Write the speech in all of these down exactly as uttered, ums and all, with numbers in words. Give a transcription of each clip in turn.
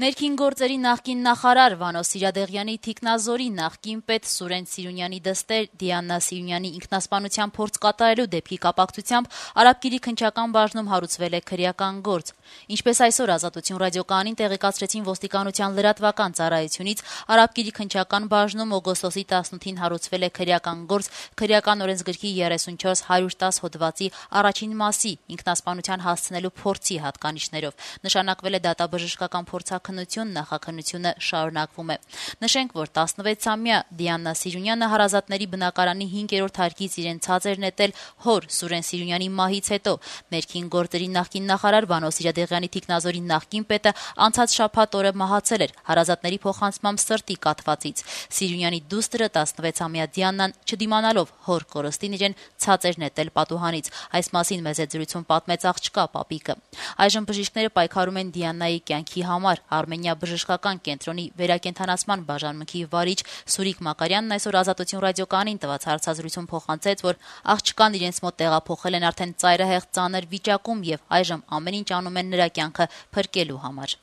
Ներքին գործերի նախկին նախարար Վանո Սիրադեղյանի թիկնազորի նախկին պետ Սուրեն Սիրունյանի դստեր Դիանա Սիրունյանի ինքնասպանության փորձ կատարելու դեպքի կապակցությամբ Արաբկիրի քննչական բաժնում հարուցվել է քրեական գործ։ Ինչպես այսօր Ազատություն ռադիոկայանին տեղեկացրեցին ոստիկանության լրատվական ծառայությունից, Արաբկիրի քննչական բաժնում օգոստոսի տասնութին հարուցվել է քրեական գործ քրեական օրենսգրքի երեսունչորս հարյուր տասը հոդվածի առաջին մասի ինքնասպանության հասցնելու փորձի հատկանիշներով։ Նշանակվել է դատաբժշկական փորձաքննություն, նախաքննությունը շարունակվում է։ Նշենք, որ տասնվեցամյա Դիանա Սիրունյանը հարազատների բնակարանի հինգերորդ հարկից իրեն ցած էր նետել հոր Սուրեն Սիրունյանի մահից հետո։ Ներքին գործերի նախկին նախարար Վանո Սիրադեղյանի թիկնազորի նախկին պետը անցած շաբաթ օրը մահացել էր հարազատների փոխանցմամբ սրտի կաթվածից։ Սիրունյանի դուստրը տասնվեցամյա Դիանան, չդիմանալով հոր կորստին, իրեն ցած էր նետել պատուհանից։ Այս մասին մեծ զրույցում պատմեց աղջկա պապիկը։ Այժմ բժիշկները պայքարում են Դիանայի կյանքի համար։ Արմենիա բժշկական կենտրոնի վերակենդանացման բաժանմունքի վարիչ Սուրիկ Մակարյանն այսօր Ազատություն ռադիոկայանին տված հարցազրույցում փոխանցեց, որ աղջկան իրենց մոտ տեղափոխել են արդեն ծայրահեղ ծանր վիճակում եւ այժմ ամեն ինչ անում են նրա կյանքը փրկելու համար։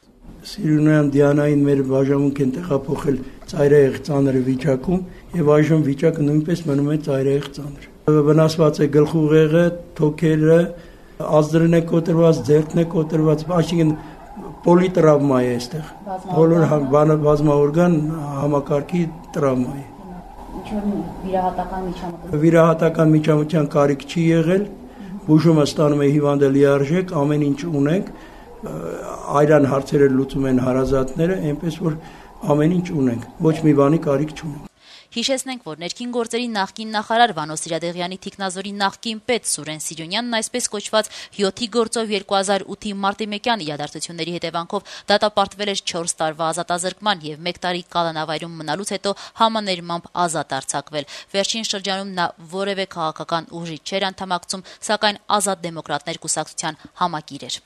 Սիրունյան Դիանային մեր բաժանմունք են տեղափոխել ծայրահեղ ծանր վիճակում եւ այժմ վիճակը նույնպես մնում է ծայրահեղ ծանր։ Վնասված է գլխուղեղը, թոքերը, ազդրն է կոտրված, ձեռքն է կոտրված, այսինքն պոլիտրավմա է այստեղ, բոլոր բազմաօրգան համակարգի տրավմա է։ Վիրահատական միջամտություն Վիրահատական միջամտության կարիք չի եղել, բուժումը ստանում է հիվանդը լիարժեք, ամեն ինչ ունենք, այրան հարցերը լուծում են հարազատները, այնպես որ ամեն ինչ ունենք, ոչ մի բանի կարիք չունենք։ Հիշեցնենք, որ ներքին գործերի նախկին նախարար Վանո Սիրադեղյանի թիկնազորի նախկին պետ Սուրեն Սիրունյանն այսպես կոչված յոթի գործով երկու հազար ութի մարտի մեկյան իրադարձությունների հետևանքով դատապարտվել էր չորս տարվա ազատազրկման եւ մեկ տարի կալանավայրում մնալուց հետո համաներմամբ ազատ արձակվել։ Վերջին շրջանում նա որևէ քաղաքական ուժի չէր անդամակցում, սակայն Ազատ դեմոկրատներ կուսակցության համակիր էր։